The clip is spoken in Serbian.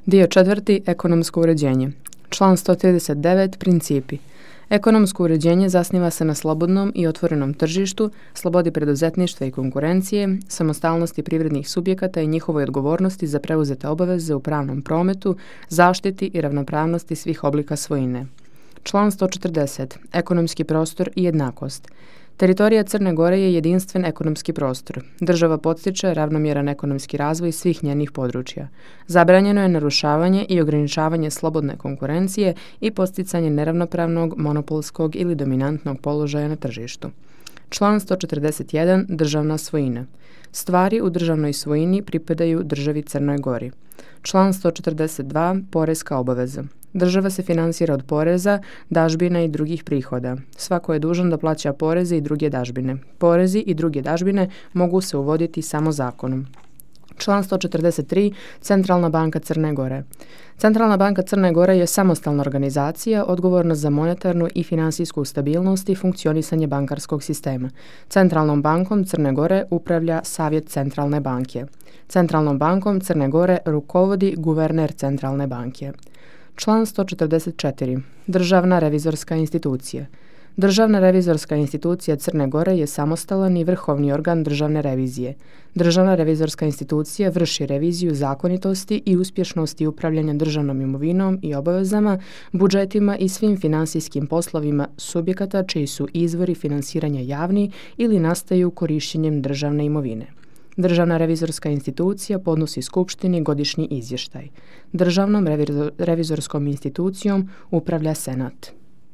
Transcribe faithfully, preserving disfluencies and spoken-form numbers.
Dio četvrti. Ekonomsko uređenje. Član sto trideset devet. Principi. Ekonomsko uređenje zasniva se na slobodnom i otvorenom tržištu, slobodi preduzetništva i konkurencije, samostalnosti privrednih subjekata i njihovoj odgovornosti za preuzete obaveze u pravnom prometu, zaštiti i ravnopravnosti svih oblika svojine. Član sto četrdeset. Ekonomski prostor i jednakost. Teritorija Crne Gore je jedinstven ekonomski prostor. Država podstiče ravnomjeran ekonomski razvoj svih njenih područja. Zabranjeno je narušavanje i ograničavanje slobodne konkurencije i podsticanje neravnopravnog, monopolskog ili dominantnog položaja na tržištu. Član sto četrdeset jedan. Državna svojina. Stvari u državnoj svojini pripadaju državi Crnoj Gori. Član sto četrdeset dva. Poreska obaveza. Država se finansira od poreza, dažbina i drugih prihoda. Svako je dužan da plaća poreze i druge dažbine. Porezi i druge dažbine mogu se uvoditi samo zakonom. Član sto četrdeset tri. Centralna banka Crne Gore. Centralna banka Crne Gore je samostalna organizacija odgovorna za monetarnu i finansijsku stabilnost i funkcionisanje bankarskog sistema. Centralnom bankom Crne Gore upravlja Savjet Centralne banke. Centralnom bankom Crne Gore rukovodi guverner Centralne banke. Član sto četrdeset četiri. Državna revizorska institucija. Državna revizorska institucija Crne Gore je samostalan i vrhovni organ državne revizije. Državna revizorska institucija vrši reviziju zakonitosti i uspješnosti upravljanja državnom imovinom i obavezama, budžetima i svim finansijskim poslovima subjekata čiji su izvori finansiranja javni ili nastaju korištenjem državne imovine. Državna revizorska institucija podnosi Skupštini godišnji izvještaj. Državnom revizorskom institucijom upravlja Senat.